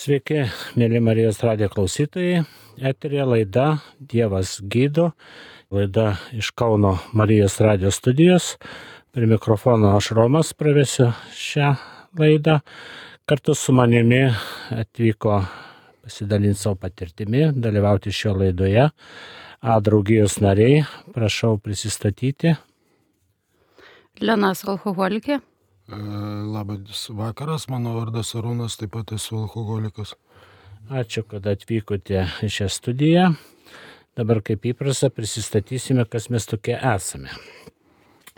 Sveiki, mėly Marijos radijo klausytojai. Eterija laida Dievas gydo. Laida iš Kauno Marijos radijo studijos. Prie mikrofono aš Romas pravesiu šią laidą. Kartu su manimi atvyko pasidalinti savo patirtimi, dalyvauti šio laidoje. Draugijos nariai, prašau prisistatyti. Lenas alkoholikė. Labas vakaras, mano vardas Arūnas, taip pat esu alkoholikas. Ačiū, kad atvykote į šią studiją. Dabar kaip įprasta prisistatysime, kas mes tokie esame.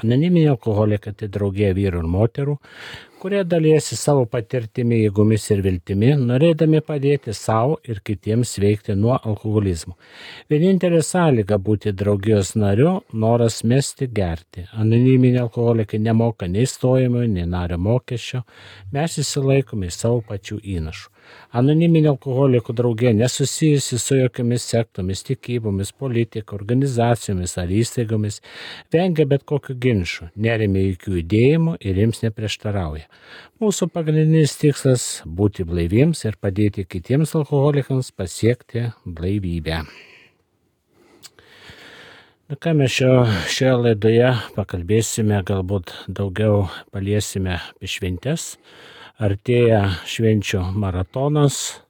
Anoniminiai alkoholikai tai draugija vyrų ir moterų, kurie dalijasi savo patirtimi, jėgomis ir viltimi, norėdami padėti savo ir kitiems sveikti nuo alkoholizmo. Vienintelė sąlyga būti draugijos nariu - noras mesti gerti. Anoniminiai alkoholikai nemoka nei stojimo, nei nario mokesčio, mes įsilaikome iš savo pačių įnašų. Anoniminė alkoholikų draugija nesusijusi su jokiamis sektomis, tikybomis, politika, organizacijomis ar įstaigomis, vengia bet kokių ginčų, neremia jokių judėjimų ir jiems neprieštarauja. Mūsų pagrindinis tikslas - būti blaiviems ir padėti kitiems alkoholikams pasiekti blaivybę. Ką mes šioje laidoje pakalbėsime, galbūt daugiau paliesime apie šventes. Artėja švenčių maratonas,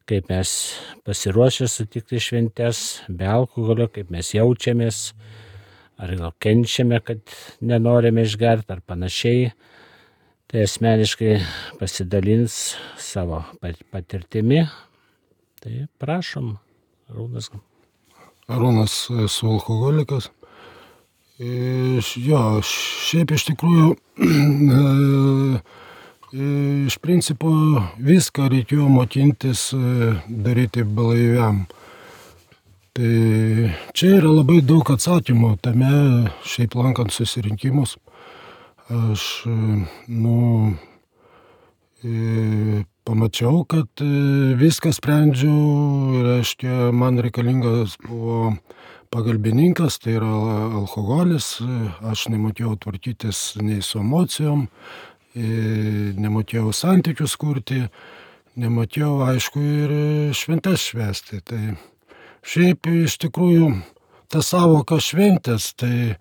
kaip mes pasiruošę sutikti šventes, be alkoholio, kaip mes jaučiamės, ar gal kenčiame, kad nenorime išgerti ar panašiai. Tai asmeniškai pasidalins savo patirtimi. Tai prašom, Arūnas. Arūnas, esu alkoholikas. Šiaip iš tikrųjų iš principo viską reikėjo mokintis daryti blaiviam. Tai čia yra labai daug atsakymų tame, šiaip lankant susirinkimus. Aš pamačiau, kad viską sprendžiu, reiškia, man reikalingas buvo pagalbininkas, tai yra alkoholis. Aš nemokėjau tvarkytis nei su emocijom, nemokėjau santykius kurti, nemokėjau, aišku, ir šventes švęsti. Tai šiaip iš tikrųjų ta savoka šventės, tai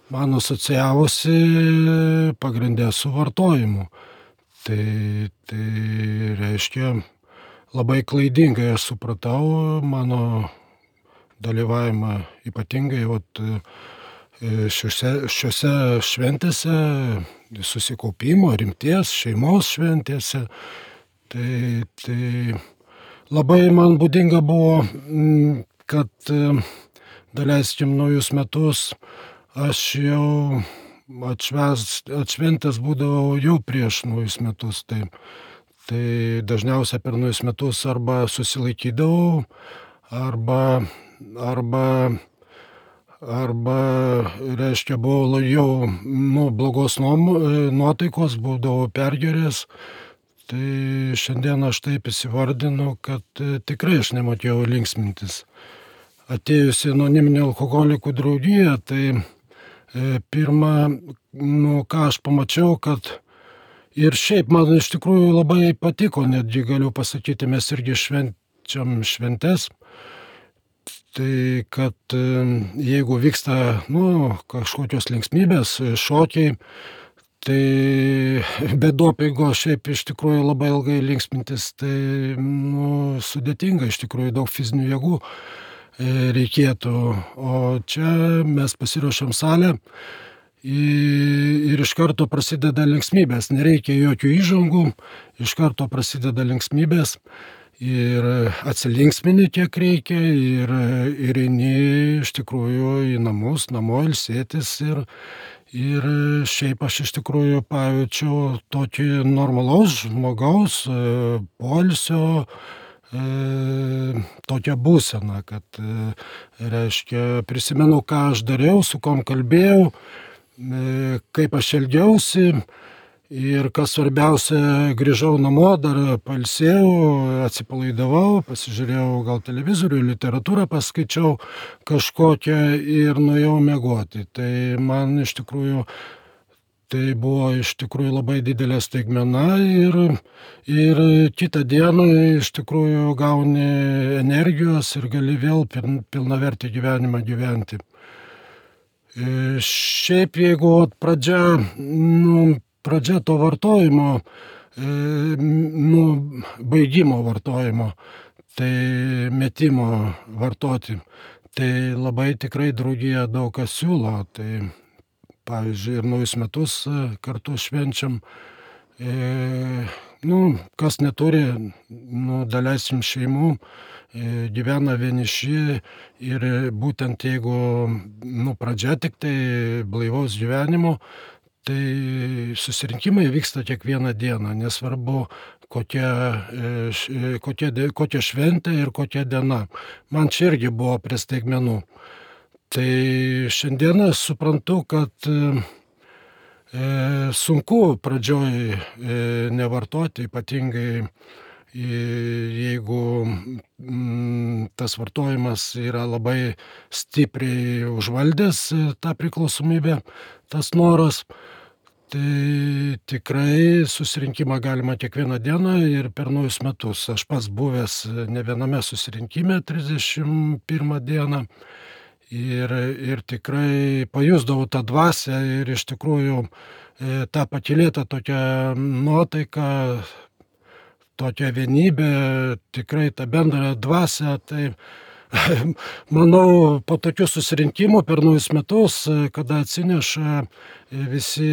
man asocijavosi pagrindė su vartojimu. Tai reiškia, labai klaidingai aš supratau mano dalyvavimą ypatingai šiuose šventėse, susikaupimo, rimties, šeimos šventėse. Tai labai man būdinga buvo, kad daleiskim naujus metus aš jau atšventęs būdavau jau prieš naujus metus. Tai dažniausiai per naujus metus arba susilaikydavau, arba reiškia, buvau jau blogos nuotaikos, būdavau pergeręs. Tai šiandien aš taip įsivardinu, kad tikrai aš nemokėjau linksmintis. Atėjusi anoniminė alkoholikų draugija, tai pirma, ką aš pamačiau, kad ir šiaip man iš tikrųjų labai patiko, netgi galiu pasakyti, mes irgi švenčiam šventes. Tai kad jeigu vyksta kažkokios linksmybės, šokiai, tai be dopingo šiaip iš tikrųjų labai ilgai linksmintis, tai sudėtinga, iš tikrųjų daug fizinių jėgų reikėtų. O čia mes pasiruošiam salę ir iš karto prasideda linksmybės, nereikia jokių įžangų, iš karto prasideda linksmybės. Ir atsilinksmini kiek reikia ir eini iš tikrųjų į namus, namo ilsėtis ir šiaip aš iš tikrųjų pajaučiau tokį normalaus žmogaus poilsio tokią būseną, kad reiškia prisimenu, ką aš dariau, su kom kalbėjau, kaip aš elgiausi. Ir kas svarbiausia, grįžau namo, dar pailsėjau, atsipalaidavau, pasižiūrėjau gal televizorių, literatūrą paskaičiau kažkokią ir nuėjau miegoti. Tai man iš tikrųjų Tai buvo iš tikrųjų labai didelė staigmena ir kitą dieną iš tikrųjų gauni energijos ir gali vėl pilnavertį gyvenimą gyventi. Šiaip jeigu pradžia to vartojimo, baigimo vartojimo, tai metimo vartoti, tai labai tikrai draugija daug kas siūlo. Tai pavyzdžiui, ir naujus metus kartu švenčiam. Kas neturi, daleisim šeimų, gyvena vieniši ir būtent jeigu pradžia tik tai blaivaus gyvenimo, tai susirinkimai vyksta kiekvieną dieną, nesvarbu kokia šventė ir kokia diena. Man čia irgi buvo prie staigmenų. Tai šiandieną suprantu, kad sunku pradžioj nevartoti, ypatingai jeigu tas vartojimas yra labai stipriai užvaldęs tą priklausomybę, tas noras. Tai tikrai susirinkimą galima kiekvieną dieną ir per naujus metus. Aš pats buvęs ne viename susirinkime 31 dieną ir tikrai pajusdavau tą dvasią ir iš tikrųjų tą pakylėtą tokią nuotaiką, tokią vienybę, tikrai tą bendrą dvasią. Tai manau, po tokių susirinkimų per naujus metus, kada atsineša visi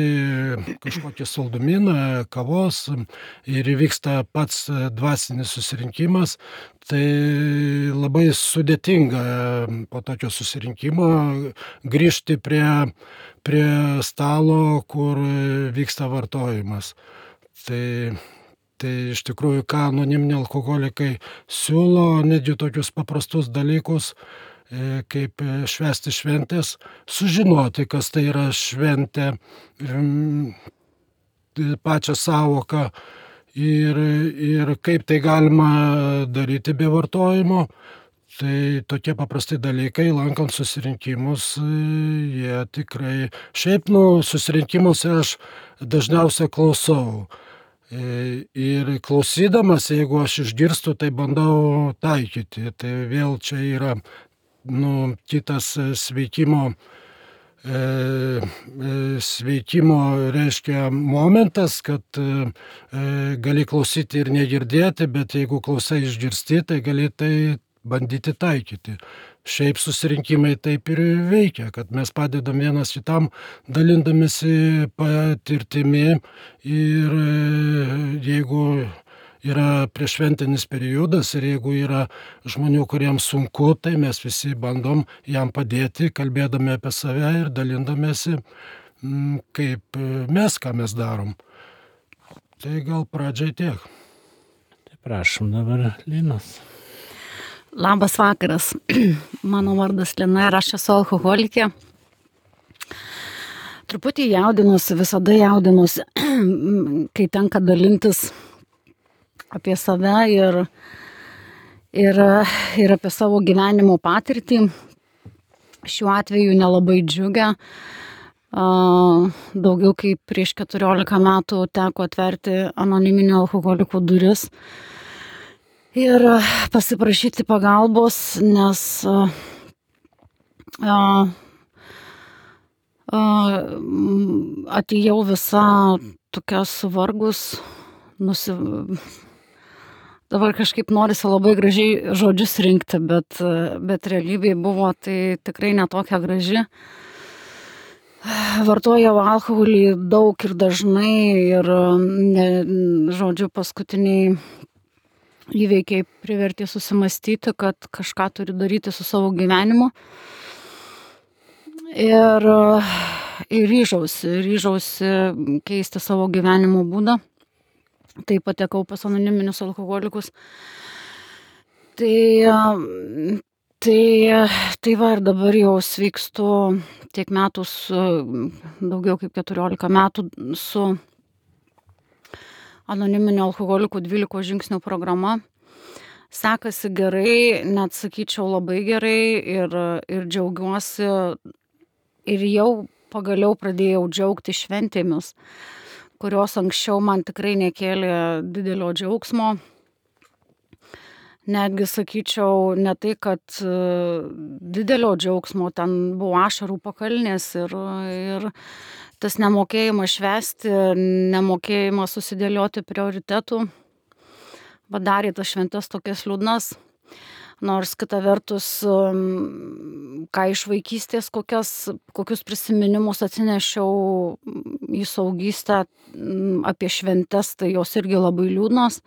kažkokį saldumyną, kavos ir įvyksta pats dvasinis susirinkimas, tai labai sudėtinga po tokio susirinkimo grįžti prie stalo, kur vyksta vartojimas. Tai iš tikrųjų, ką anoniminiai alkoholikai siūlo, netgi tokius paprastus dalykus, kaip švęsti šventės, sužinoti, kas tai yra šventė, pačią sąvoką ir kaip tai galima daryti be vartojimo. Tai tokie paprasti dalykai, lankant susirinkimus, jie tikrai... Šiaip, susirinkimuose aš dažniausiai klausau. Ir klausydamas, jeigu aš išgirstu, tai bandau taikyti. Tai vėl čia yra kitas sveikimo reiškia momentas, kad gali klausyti ir negirdėti, bet jeigu klausai išgirsti, tai gali tai bandyti taikyti. Šiaip susirinkimai taip ir veikia, kad mes padedam vienas kitam, dalindamėsi patirtimi ir jeigu yra prieššventinis periodas ir jeigu yra žmonių, kuriems sunku, tai mes visi bandom jam padėti, kalbėdami apie save ir dalindamėsi, kaip mes, ką mes darom. Tai gal pradžiai tiek. Tai prašom dabar Linos. Labas vakaras. Mano vardas Lina ir aš esu alkoholikė. Truputį jaudinuosi, visada jaudinuosi, kai tenka dalintis apie save ir apie savo gyvenimo patirtį. Šiuo atveju nelabai džiugia. Daugiau kaip prieš 14 metų teko atverti anoniminių alkoholikų duris ir pasiprašyti pagalbos, nes atėjau visa tokia suvargus, dabar kažkaip norisi labai gražiai žodžius rinkti, bet realybėje buvo tai tikrai netokia graži. Vartojau alkoholį daug ir dažnai ir, paskutiniai įveikiai privertė susimastyti, kad kažką turiu daryti su savo gyvenimu. Ir ryžausi keisti savo gyvenimo būdą. Tai patekau pas anoniminius alkoholikus. Tai va ir dabar jau sveikstu tiek metų, daugiau kaip 14 metų su anoniminių alkoholikų 12 žingsnių programa. Sekasi gerai, net sakyčiau labai gerai ir džiaugiuosi ir jau pagaliau pradėjau džiaugti šventėmis, kurios anksčiau man tikrai nekėlė didelio džiaugsmo. Netgi sakyčiau, ne tai, kad didelio džiaugsmo, ten buvo ašarų pakalnės ir tas nemokėjimas švęsti, nemokėjimas susidėlioti prioritetų padarė tas šventes tokias liūdnas. Nors kita vertus, ką iš vaikystės, kokius prisiminimus atsinešiau į suaugystę apie šventes, tai jos irgi labai liūdnos.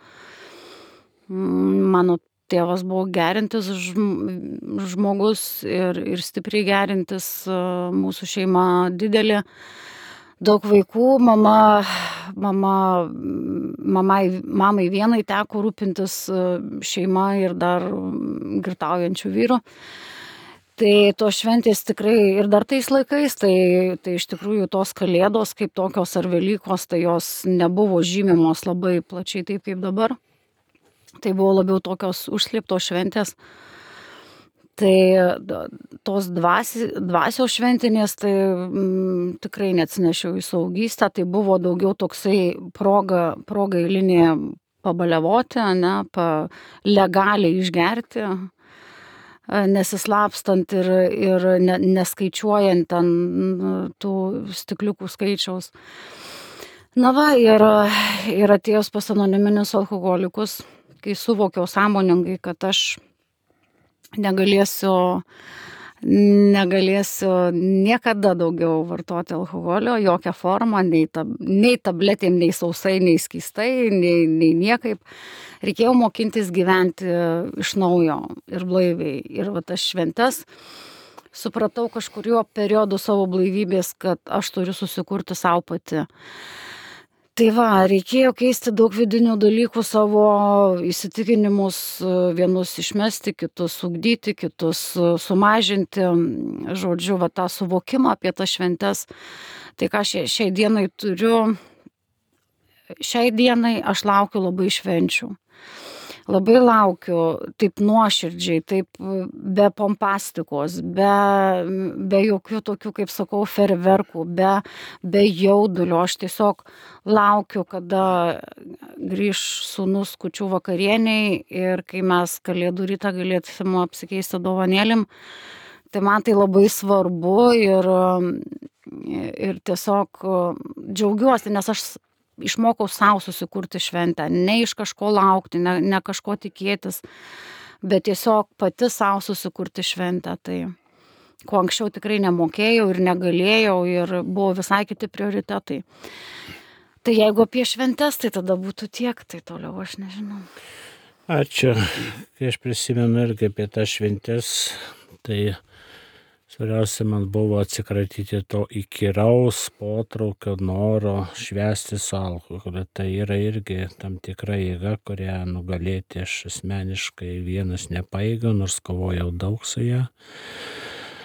Mano tėvas buvo gerintis žmogus ir stipriai gerintis, mūsų šeima didelė, daug vaikų, mamai vienai teko rūpintis šeima ir dar girtaujančių vyrų. Tai tos šventės tikrai ir dar tais laikais, tai iš tikrųjų tos kalėdos kaip tokios ar Velykos, tai jos nebuvo žymimos labai plačiai taip kaip dabar. Tai buvo labiau tokios užslėptos šventės. Tai tos dvasios šventinės, tai tikrai neatsinešiau į suaugystę, tai buvo daugiau toksai proga eilinė pabaliavoti, legaliai išgerti, nesislapstant ir neskaičiuojant ten tų stikliukų skaičiaus. Na va, ir atėjus pas anoniminius alkoholikus, kai suvokiau sąmoningai, kad aš negalėsiu niekada daugiau vartoti alkoholio, jokią formą, nei tabletėm, nei sausai, nei skystai, nei niekaip. Reikėjo mokintis gyventi iš naujo ir blaiviai. Ir va tas šventes supratau kažkuriuo periodu savo blaivybės, kad aš turiu susikurti savo pati. Tai va, reikėjo keisti daug vidinių dalykų, savo įsitikinimus, vienus išmesti, kitus ugdyti, kitus sumažinti, žodžiu, va tą suvokimą apie tas šventes. Tai ką šiai dienai turiu, šiai dienai aš laukiu labai švenčių. Labai laukiu taip nuoširdžiai, taip be pompastikos, be jokių tokių, kaip sakau, ferverkų, be jaudulio. Aš tiesiog laukiu, kada grįš sūnus kūčių vakarieniai ir kai mes kalėdų rytą galėsim apsikeisti dovanėlim. Tai man tai labai svarbu ir tiesiog džiaugiuosi, nes aš išmokau savo susikurti šventę, ne iš kažko laukti, ne kažko tikėtis, bet tiesiog pati savo susikurti šventę. Tai ko anksčiau tikrai nemokėjau ir negalėjau ir buvo visai kiti prioritetai. Tai jeigu apie šventes, tai tada būtų tiek, tai toliau aš nežinau. Ačiū. Kai aš prisimenu irgi apie tas šventes, tai svarbiausia man buvo atsikratyti to įkyraus potraukio noro švęsti su alkoholiu. Tai yra irgi tam tikra jėga, kurią nugalėti aš asmeniškai vienas nepajėgiau, nors kovojau daug su ją.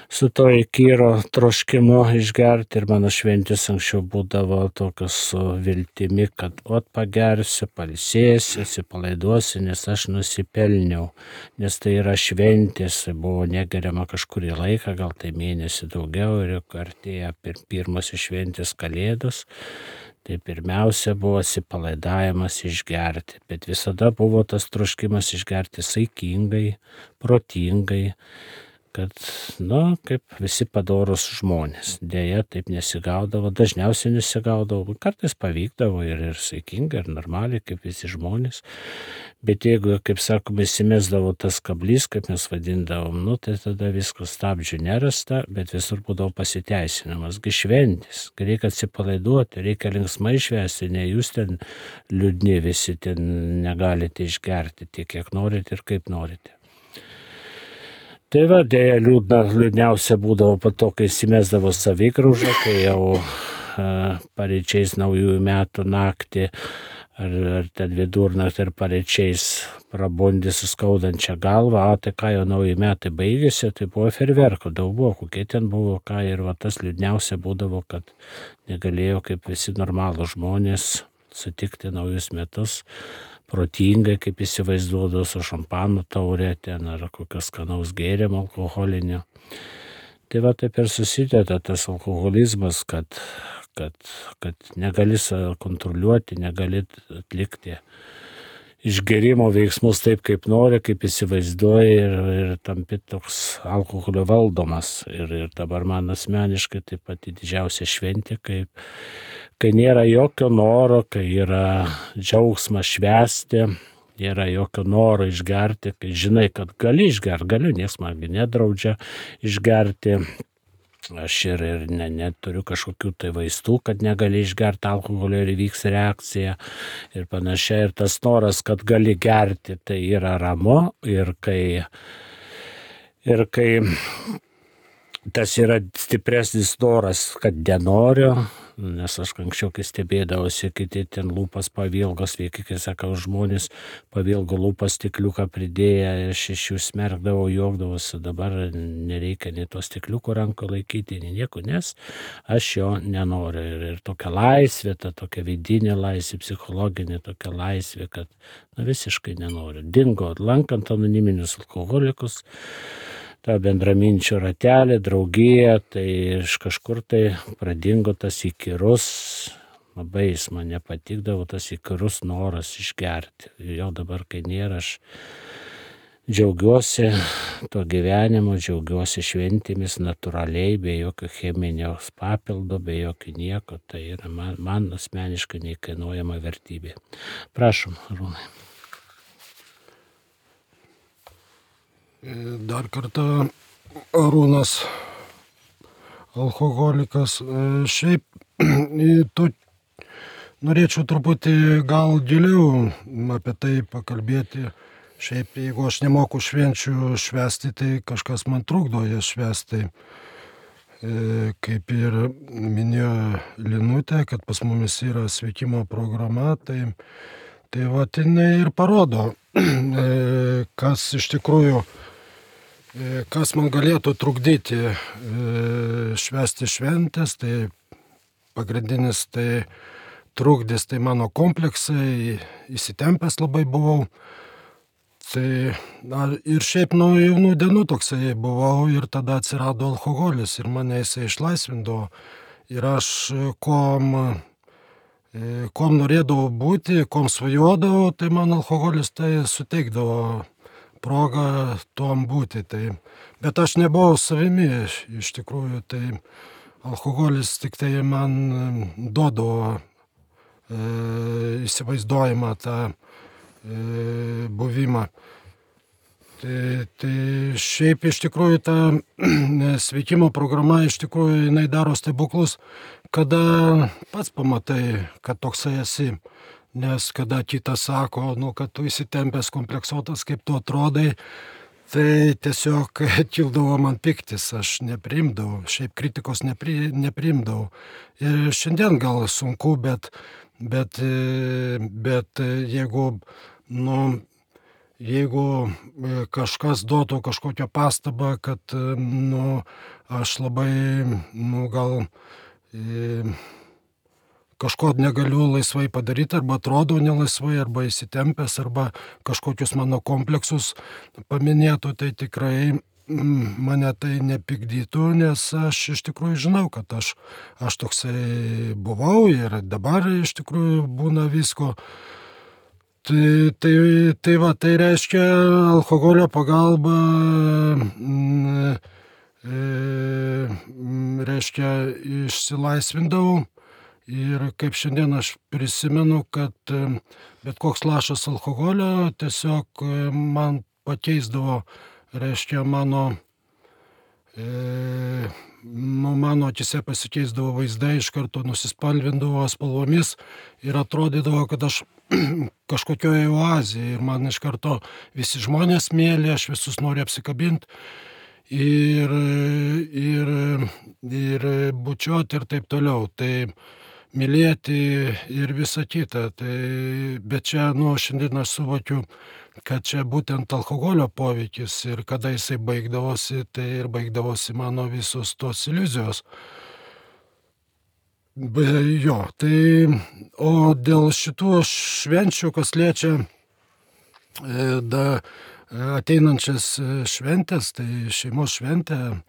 Su to įkyro troškimu išgerti ir mano šventės anksčiau būdavo tokios su viltimi, kad pagersiu, pailsėsiu, atsipalaiduosiu, nes aš nusipelniau, nes tai yra šventės, buvo negeriama kažkurį laiką, gal tai mėnesį daugiau ir artėja pirmasis šventės kalėdos. Tai pirmiausia buvo atsipalaidavimas išgerti, bet visada buvo tas troškimas išgerti saikingai, protingai, kad, kaip visi padorūs žmonės. Deja, taip nesigaudavo, dažniausiai nesigaudavo, kartais pavykdavo ir saikingai, ir normaliai, kaip visi žmonės. Bet jeigu, kaip sakome, įsimesdavo tas kablys, kaip mes vadindavom, tai tada viskas stabdžių nerasta, bet visur būdavo pasiteisinamas. Gi šventės, reikia atsipalaiduoti, reikia linksmai švęsti, ne jūs ten liūdni visi ten negalite išgerti tiek, kiek norite ir kaip norite. Tai va, dėja liūdniausia būdavo po to, kai įsimesdavo savigraužą, kai jau paryčiais naujųjų metų naktį ar ten vidurnaktį ir paryčiais prabundi su skaudančia galva, tai ką jau nauji metai baigėsi, tai buvo ferverkų, daug buvo, kokie ten buvo, ką ir va tas liūdniausia būdavo, kad negalėjo kaip visi normalūs žmonės sutikti naujus metus protingai, kaip įsivaizduodavo su šampano taurė ten ar kokios skanaus gėrimo alkoholinio. Tai va taip ir susideda tas alkoholizmas, kad negali kontroliuoti, negali atlikti išgerimo veiksmus taip, kaip nori, kaip įsivaizduoji ir tampi toks alkoholio valdomas. Ir dabar man asmeniškai taip pat didžiausia šventė, kai nėra jokio noro, kai yra džiaugsmas švęsti, nėra jokio noro išgerti, kai žinai, kad gali išgerti, galiu, nieks man nedraudžia išgerti. Aš ir neturiu kažkokių tai vaistų, kad negali išgerti alkoholio ir įvyks reakcija ir panašiai. Ir tas noras, kad gali gerti, tai yra ramu. Ir kai tas yra stipresnis noras, kad nenoriu, nes aš anksčiau, kai stebėdavosi, kiti ten lūpas pavilgos, kai sakau, žmonės pavilgo lūpas stikliuką pridėję, aš iš jų smerkdavau, juokdavosi, dabar nereikia nei to stikliuko ranko laikyti, nei nieko, nes aš jo nenoriu. Ir tokia laisvė, ta tokia vidinė laisvė, psichologinė tokia laisvė, kad visiškai nenoriu. Dingo, lankant anoniminius alkoholikus, tą bendraminčių ratelį, draugiją, tai iš kažkur tai pradingo tas įkyrus, labai jis man nepatikdavo, tas įkyrus noras išgerti. Jo dabar, kai nėra, aš džiaugiuosi to gyvenimu, džiaugiuosi šventėmis natūraliai, be jokio cheminio papildo, be jokio nieko. Tai yra man asmeniškai neįkainuojama vertybė. Prašom, Arūnai. Dar kartą Arūnas, alkoholikas. Šiaip norėčiau truputį gal giliau apie tai pakalbėti. Šiaip jeigu aš nemoku švenčių švęsti, tai kažkas man trukdo jas švęsti. Kaip ir minėjo Linutė, kad pas mumis yra sveikimo programa, tai va, jinai ir parodo, kas iš tikrųjų, kas man galėtų trukdyti švęsti šventės. Tai pagrindinis tai trukdys, tai mano kompleksai, įsitempęs labai buvau. Tai ir šiaip nuo jaunų dienų toksai buvau ir tada atsirado alkoholis ir mane jisai išlaisvindavo. Ir aš kom norėdavau būti, kom svajodavau, tai man alkoholis tai suteikdavo progą tuom būti. Bet aš nebuvau savimi iš tikrųjų, tai alkoholis tik tai man duodavo įsivaizduojimą tą buvimą. Tai šiaip iš tikrųjų ta sveikimo programa iš tikrųjų jinai daro stebuklus, kada pats pamatai, kad toksai esi. Nes kada kitas sako, kad tu įsitempęs, kompleksuotas, kaip tu atrodai, tai tiesiog kildavo man piktis, aš nepriimdavau, šiaip kritikos nepriimdavau. Ir šiandien gal sunku, bet jeigu kažkas duotų kažkokią pastabą, kad aš labai gal kažko negaliu laisvai padaryti, arba atrodo nelaisvai, arba įsitempęs, arba kažkokius mano kompleksus paminėtų, tai tikrai mane tai nepykdytų, nes aš iš tikrųjų žinau, kad aš toksai buvau ir dabar iš tikrųjų būna visko. Tai reiškia, alkoholio pagalba reiškia išsilaisvindavau. Ir kaip šiandien aš prisimenu, kad bet koks lašas alkoholio tiesiog man pakeisdavo, reiškia mano akise pasikeisdavo vaizdai, iš karto nusispalvindavo spalvomis ir atrodydavo, kad aš kažkokioje oazėje ir man iš karto visi žmonės mėly, aš visus noriu apsikabinti ir bučiuoti ir taip toliau. Tai mylėti ir visa kita. Bet čia, šiandien aš suvokiu, kad čia būtent alkoholio poveikis ir kada jisai baigdavosi, tai ir baigdavosi mano visos tos iliuzijos. O dėl šitų švenčių, kas liečia ateinančias šventės, tai šeimos šventė,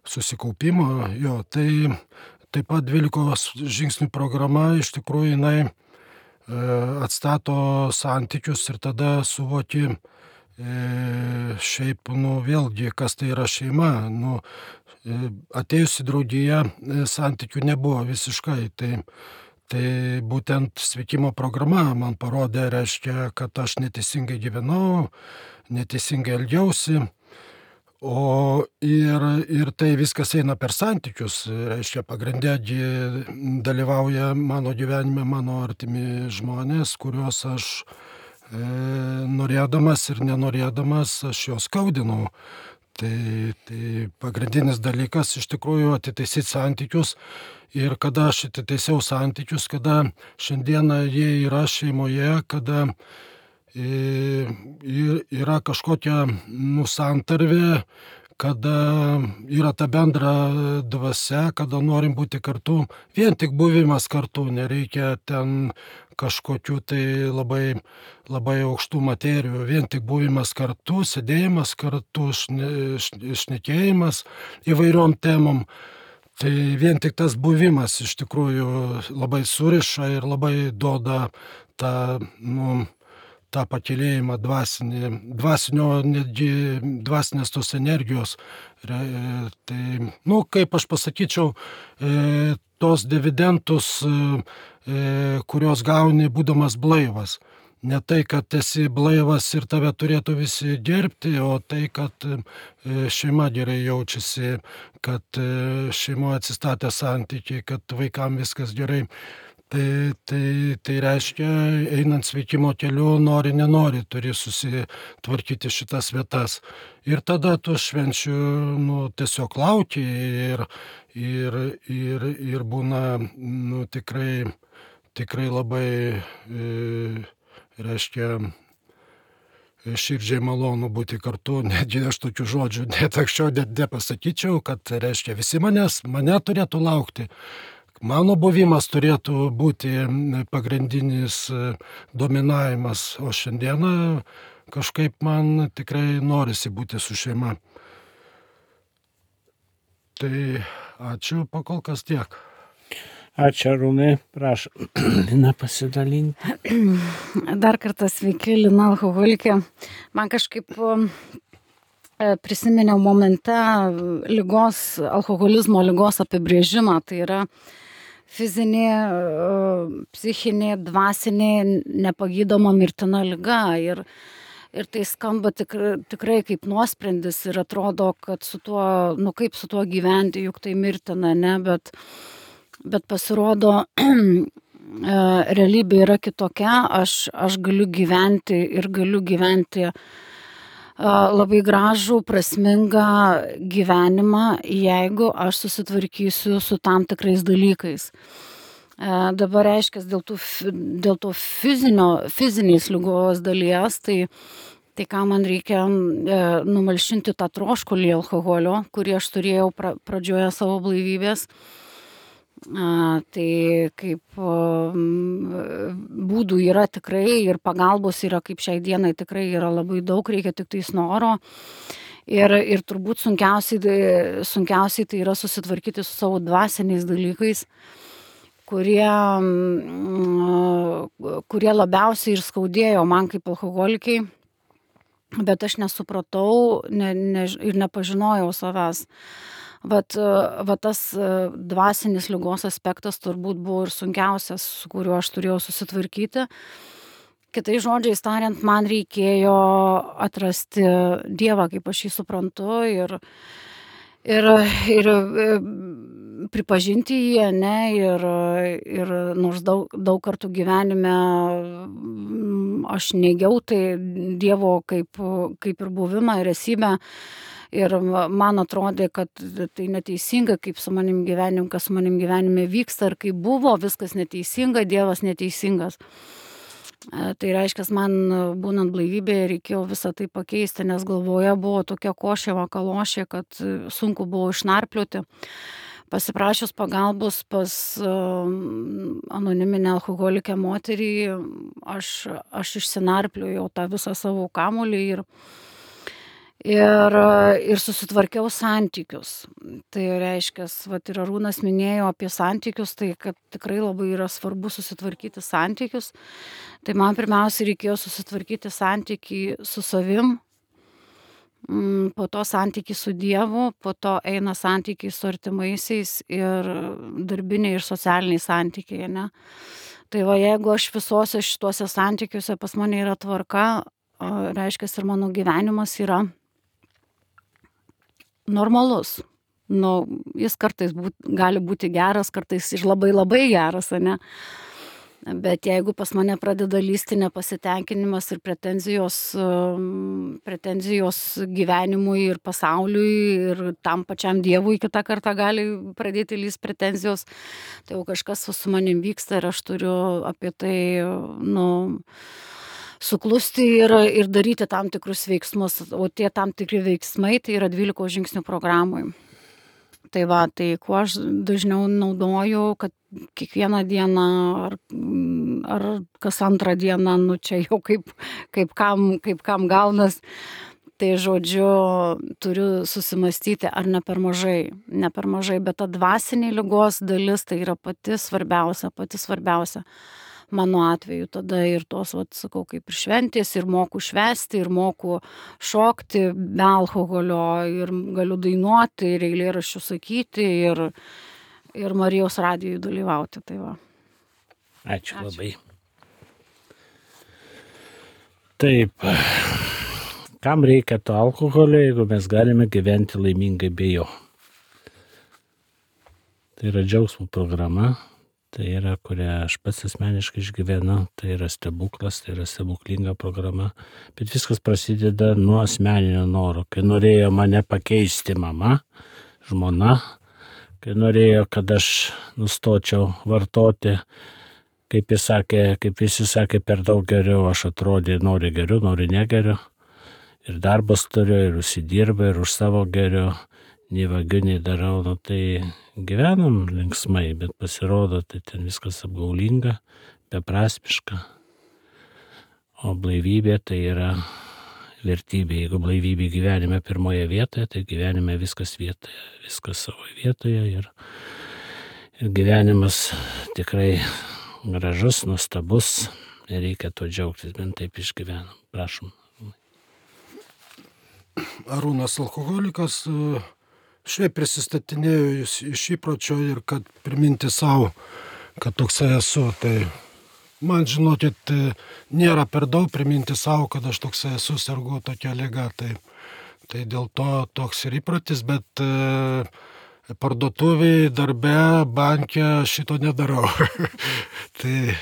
susikaupimo, jo, tai taip pat 12 žingsnių programa iš tikrųjų jinai atstato santykius ir tada suvoki šiaip, vėlgi, kas tai yra šeima. Atėjus į draugiją santykių nebuvo visiškai, tai būtent sveikimo programa man parodė, reiškia, kad aš neteisingai gyvenau, neteisingai elgiausi. Ir tai viskas eina per santykius, reiškia, pagrindė dalyvauja mano gyvenime mano artimi žmonės, kuriuos aš norėdamas ir nenorėdamas aš juos skaudinau. Tai pagrindinis dalykas iš tikrųjų atitaisyti santykius. Ir kada aš atitaisiau santykius, kada šiandieną jie yra šeimoje, kada yra kažkokia santarvė, kada yra ta bendra dvasia, kada norim būti kartu. Vien tik buvimas kartu, nereikia ten kažkokių tai labai, labai aukštų materijų. Vien tik buvimas kartu, sėdėjimas kartu, šnekėjimas įvairiom temom. Tai vien tik tas buvimas iš tikrųjų labai suriša ir labai duoda tą pakylėjimą dvasinės tos energijos. Tai, kaip aš pasakyčiau, tos dividendus, kurios gauni būdamas blaivas. Ne tai, kad esi blaivas ir tave turėtų visi gerbti, o tai, kad šeima gerai jaučiasi, kad šeimoje atsistatė santykiai, kad vaikam viskas gerai. Tai reiškia, einant sveikimo keliu, nori, nenori, turi susitvarkyti šitas vietas. Ir tada tu švenčių tiesiog lauki ir būna tikrai labai, reiškia, širdžiai malonu būti kartu. Netgi aš tokių žodžių net anksčiau nepasakyčiau, kad, reiškia, visi mane turėtų laukti. Mano buvimas turėtų būti pagrindinis dominavimas, o šiandieną kažkaip man tikrai norisi būti su šeima. Tai ačiū, pakol kas tiek. Ačiū, Arūnai, prašau, Lina pasidalinti. Dar kartą sveiki, Lina, alkoholikė. Man kažkaip prisiminiau momente alkoholizmo ligos apibrėžimą, tai yra fizinė, psichinė, dvasinė, nepagydoma mirtina liga. Ir tai skamba tikrai kaip nuosprendis ir atrodo, kad su tuo, kaip su tuo gyventi, juk tai mirtina, ne, bet pasirodo, realybė yra kitokia. Aš galiu gyventi ir galiu gyventi labai gražų, prasmingą gyvenimą, jeigu aš susitvarkysiu su tam tikrais dalykais. Dabar reiškia, dėl to fizinės ligos dalies, tai ką man reikia numalšinti tą troškulį alkoholio, kurį aš turėjau pradžioje savo blaivybės. Tai kaip būdų yra tikrai ir pagalbos yra kaip šiai dienai tikrai yra labai daug, reikia tik tais noro. Ir turbūt sunkiausiai tai yra susitvarkyti su savo dvasiniais dalykais, kurie labiausiai ir skaudėjo man kaip alkoholikai, bet aš nesupratau ir nepažinojau savęs. Va tas dvasinis ligos aspektas turbūt buvo ir sunkiausias, su kuriuo aš turėjau susitvarkyti. Kitais žodžiais tariant, man reikėjo atrasti Dievą, kaip aš jį suprantu, ir pripažinti jį, ne, ir nors daug kartų gyvenime aš neigiau tai Dievo kaip ir buvimą ir esybę. Ir man atrodė, kad tai neteisinga, kaip su manim gyvenim, kas su manim gyvenime vyksta, ir kaip buvo viskas neteisinga, Dievas neteisingas. Tai reiškia, man būnant blaivybėje reikėjo visą tai pakeisti, nes galvoje buvo tokia košė vakalošė, kad sunku buvo išnarplioti. Pasiprašius pagalbos pas anoniminę alkoholikę moterį, aš išsinarpliojau tą visą savo kamuolį ir susitvarkiau santykius. Tai reiškia, vat ir Arūnas minėjo apie santykius, tai kad tikrai labai yra svarbu susitvarkyti santykius. Tai man pirmiausia reikėjo susitvarkyti santykį su savim, po to santykiai su Dievu, po to eina santykiai su artimaisiais ir darbiniai ir socialiniai santykiai, ne? Tai va, jeigu aš visuose šituose santykiuose pas mane yra tvarka, reiškia, ir mano gyvenimas yra normalus. Nu, jis kartais gali būti geras, kartais ir labai labai geras, ne? Bet jeigu pas mane pradeda lysti nepasitenkinimas ir pretenzijos gyvenimui ir pasauliui ir tam pačiam Dievui kitą kartą gali pradėti lysti pretenzijos, tai jau kažkas su manim vyksta ir aš turiu apie tai, suklusti ir daryti tam tikrus veiksmus, o tie tam tikri veiksmai tai yra 12 žingsnių programai. Tai va, tai kuo aš dažniau naudoju, kad kiekvieną dieną ar kas antrą dieną, čia jau kaip kam gaunas, tai žodžiu, turiu susimastyti, ar ne per mažai, bet ta dvasinė ligos dalis tai yra pati svarbiausia. Mano atveju tada ir tos, sakau, kaip ir šventės, ir moku švęsti, ir moku šokti be alkoholio, ir galiu dainuoti, ir eilėraščių sakyti, ir Marijos radijui dalyvauti. Tai va. Ačiū labai. Taip, kam reikia to alkoholio, jeigu mes galime gyventi laimingai be jo? Tai yra džiaugsmo programa. Tai yra, kurią aš pats asmeniškai išgyvenu, tai yra stebuklas, tai yra stebuklinga programa, bet viskas prasideda nuo asmeninio noro, kai norėjo mane pakeisti mama, žmona, kai norėjo, kad aš nustočiau vartoti, kaip visi sakė, per daug geriau, aš atrodė, nori geriau, nori negeriau, ir darbas turiu, ir užsidirba, ir už savo geriau, nei vagiu, nei darau, tai gyvenam linksmai, bet pasirodo, tai ten viskas apgaulinga, beprasmiška, o blaivybė tai yra vertybė. Jeigu blaivybė gyvenime pirmoje vietoje, tai gyvenime viskas vietoje, viskas savo vietoje ir gyvenimas tikrai gražus, nuostabus ir reikia to džiaugtis, bent taip išgyvenam. Prašom. Arūnas alkoholikas. Šiaip prisistatinėjau iš įpročio ir kad priminti savo, kad toksai esu. Tai man, žinokit, nėra per daug priminti savo, kad aš toksai esu, sergu tokia liga. Tai dėl to toks ir įprotis, bet parduotuvėje, darbe, banke šito nedarau. Tai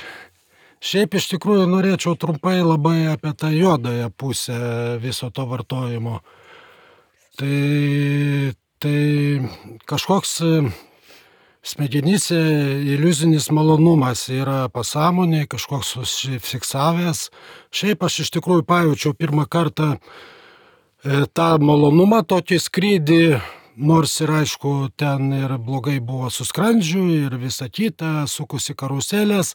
šiaip iš tikrųjų norėčiau trumpai labai apie tą juodąją pusę viso to vartojimo. Tai kažkoks smegenyse iliuzinis malonumas yra pasąmonėje, kažkoks užsifiksavęs. Šiaip aš iš tikrųjų pajaučiau pirmą kartą tą malonumą, tokį skrydį, nors ir aišku, ten ir blogai buvo su skrandžiu ir visa kita, sukusi karuselės,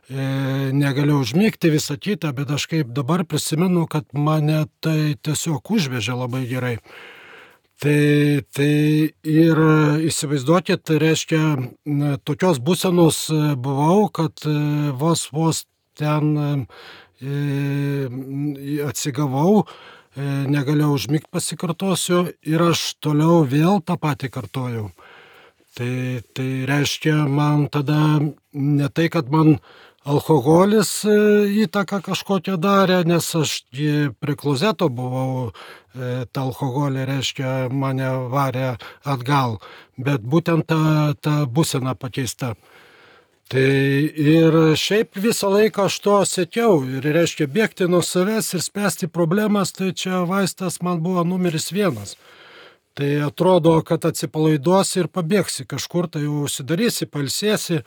negalėjau užmigti, visa kita, bet aš kaip dabar prisimenu, kad mane tai tiesiog užvežė labai gerai. Tai ir įsivaizduokit, tai reiškia, tokios būsenos buvau, kad vos ten atsigavau, negalėjau užmigti, pasikartosiu, ir aš toliau vėl tą patį kartojau. Tai reiškia, man tada ne tai, kad man alkoholis įtaką kažkokią darė, nes aš prie klozeto buvau, tą alkoholį, reiškia, mane varė atgal, bet būtent ta būsena pakeista. Tai ir šiaip visą laiką aš to siekiau, ir reiškia, bėgti nuo savęs ir spręsti problemas, tai čia vaistas man buvo numeris 1. Tai atrodo, kad atsipalaiduosi ir pabėgsi kažkur, tai jau užsidarysi, pailsėsi.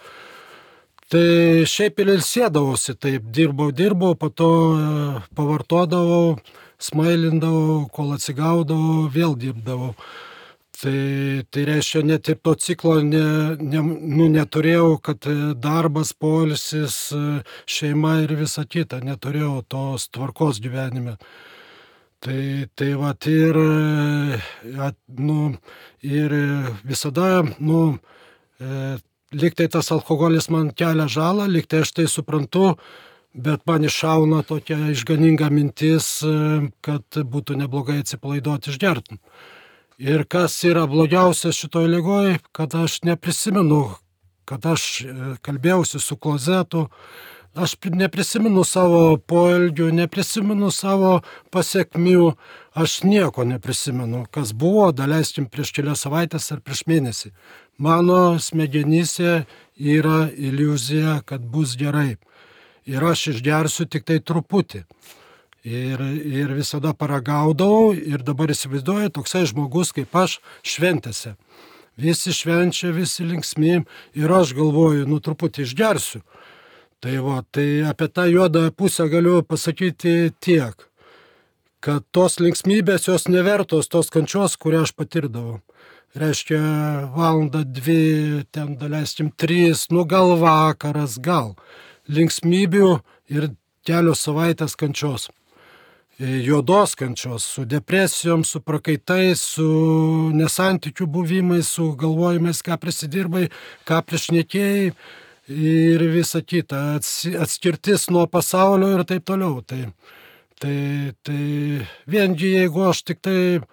Tai šiaip ir ilsėdavausi, taip dirbau, po to pavartodavau, smailindavau, kol atsigaudavau, vėl dirbdavau. Tai reiškia, net ir to ciklo neturėjau, kad darbas, poilsis, šeima ir visa kita, neturėjau tos tvarkos gyvenime. Tai vat ir visada, lyg tai tas alkoholis man kelia žalą, lyg tai aš tai suprantu, bet man iššauna tokia išganinga mintis, kad būtų neblogai atsipalaiduoti išgerti. Ir kas yra blogiausia šitoj ligoj, kad aš neprisimenu, kad aš kalbėjausi su klozetu, aš neprisimenu savo poelgių, neprisimenu savo pasiekmių, aš nieko neprisimenu, kas buvo, daleiskim, prieš kelias savaitės ar prieš mėnesį. Mano smegenyse yra iliuzija, kad bus gerai. Ir aš išgersiu tik tai truputį. Ir visada paragaudavau ir dabar įsivaizduoju toksai žmogus kaip aš šventėse. Visi švenčia, visi linksmi ir aš galvoju, truputį išgersiu. Tai apie tą juodą pusę galiu pasakyti tiek, kad tos linksmybės jos nevertos tos kančios, kurią aš patirdavau. Reiškia, valandą, 2, ten daleiskim 3, gal vakaras, gal. Linksmybių ir kelios savaitės kančios. Juodos kančios, su depresijom, su prakaitais, su nesantykių buvimais, su galvojimais, ką prisidirbai, ką priešnekėjai ir visa kita, atskirtis nuo pasaulio ir taip toliau. Tai viengi jeigu aš tik tai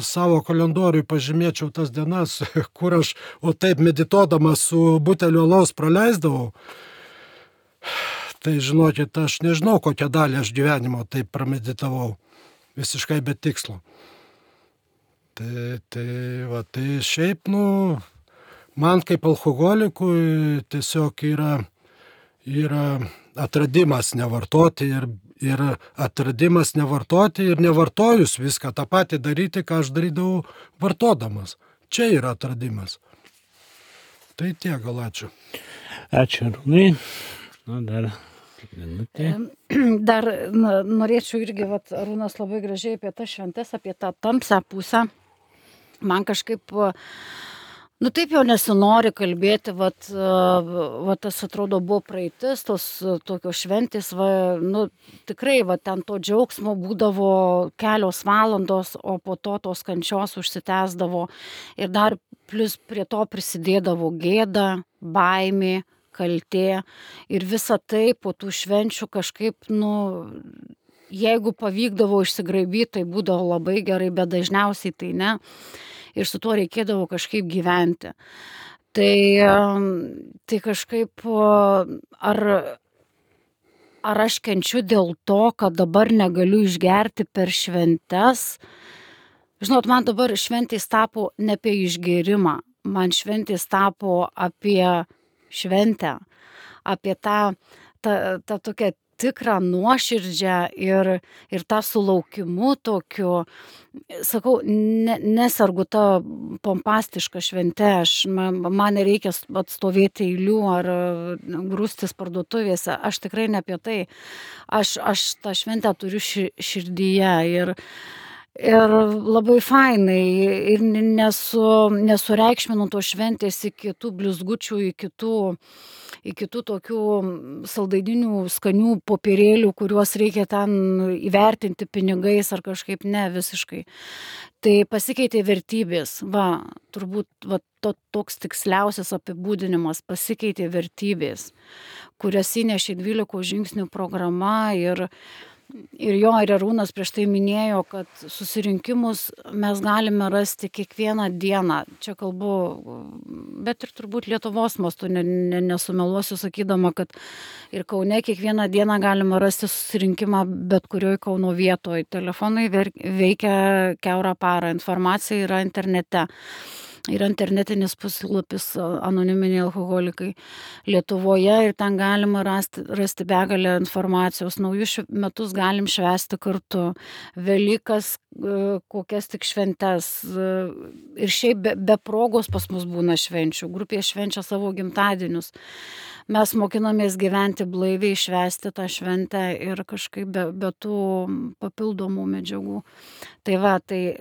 savo kalendoriui pažymėčiau tas dienas, kur aš taip medituodamas su buteliu alaus praleisdavau, tai žinokit, aš nežinau, kokią dalį aš gyvenimo taip prameditavau, visiškai be tikslo. Tai šiaip, man kaip alkoholikui tiesiog yra atradimas nevartoti ir atradimas nevartoti ir nevartojus viską tą patį daryti, ką aš darydavau vartodamas. Čia yra atradimas. Tai tiek, gal ačiū. Ačiū, Arūnai. Dar minutė. Dar norėčiau irgi, Arūnas labai gražiai apie tas šventes, apie tą tamsią pusę. Man kažkaip, taip jau nesinori kalbėti, tas atrodo buvo praeitis, tos tokios šventės, tikrai, ten to džiaugsmo būdavo kelios valandos, o po to tos kančios užsitęsdavo ir dar plus prie to prisidėdavo gėda, baimė, kaltė ir visa tai po tų švenčių kažkaip, jeigu pavykdavo išsigraibyti, tai būdavo labai gerai, bet dažniausiai tai ne. Ir su tuo reikėdavo kažkaip gyventi. Tai kažkaip, ar aš kenčiu dėl to, kad dabar negaliu išgerti per šventes? Žinot, man dabar šventės tapo ne apie išgėrimą, man šventės tapo apie šventę, apie tą tokią tikrą nuoširdžią ir tą sulaukimu tokiu, sakau, nesergu tą pompastišką šventę, man nereikia atstovėti eilių ar grūstis parduotuvėse, aš tikrai ne apie tai, aš tą šventę turiu širdyje ir labai fainai ir nesureikšminu to šventės iki tų blizgučių, iki tų tokių saldaininių skanių popierėlių, kuriuos reikia ten įvertinti pinigais ar kažkaip ne visiškai. Tai pasikeitė vertybės, turbūt toks tiksliausias apibūdinimas, pasikeitė vertybės, kurias įnešė 12 žingsnių programa ir Arūnas prieš tai minėjo, kad susirinkimus mes galime rasti kiekvieną dieną. Čia kalbu, bet ir turbūt Lietuvos mastu nesumeluosiu sakydama, kad ir Kaune kiekvieną dieną galima rasti susirinkimą bet kurioj Kauno vietoje. Telefonai veikia kiaurą parą, informacija yra internete. Yra internetinis puslapis Anoniminiai alkoholikai Lietuvoje ir ten galima rasti begalę informacijos. Naujus metus galim švęsti kartu, Velykas, kokias tik šventes. Ir šiaip be progos pas mus būna švenčių, grupė švenčia savo gimtadienius. Mes mokinamės gyventi blaiviai, švęsti tą šventę ir kažkaip be tų papildomų medžiagų. Tai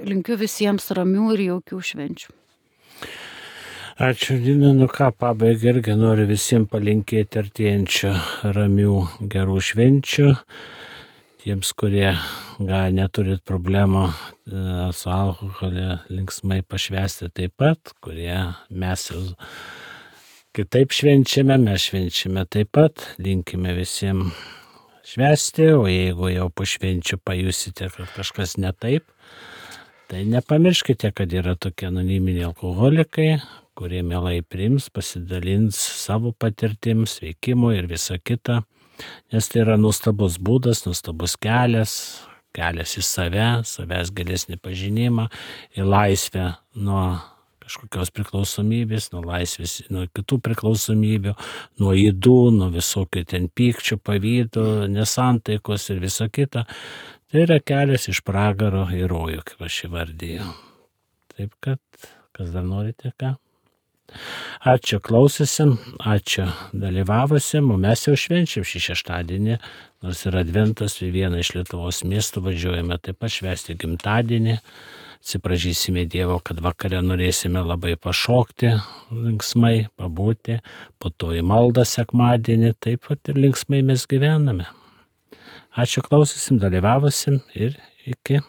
linkiu visiems ramių ir jaukių švenčių. Ačiū, Lina. Pabaigai irgi noriu visiems palinkėti artėjančių ramių gerų švenčių. tiems, kurie gal neturit problemų su alkoholiu, linksmai pašvęsti taip pat, kurie mes jau kitaip švenčiame, mes švenčiame taip pat, linkime visiems švęsti, o jeigu jau po švenčių pajusite, kad kažkas ne taip, tai nepamirškite, kad yra tokie anoniminiai alkoholikai, kurie mielai priims, pasidalins savo patirtims, veikimu ir visa kita, nes tai yra nuostabus būdas, nuostabus kelias į save, savęs gilesnį pažinimą, į laisvę nuo kažkokios priklausomybės, nuo laisvės, nuo kitų priklausomybių, nuo ydų, nuo visokių ten pykčių, pavydų, nesantaikos ir visa kita. Tai yra kelias iš pragaro į rojų, kaip aš įvardėjau. Taip kad, kas dar norite, ką? Ačiū klausysim, ačiū dalyvavusim, o mes jau švenčiam šį šeštadienį, nors yra adventas, į vieną iš Lietuvos miestų važiuojame taip pat švęsti gimtadienį, atsiprašysime Dievo, kad vakare norėsime labai pašokti, linksmai pabūti, po to į maldą sekmadienį, taip pat ir linksmai mes gyvename. Ačiū klausysim, dalyvavusim ir iki.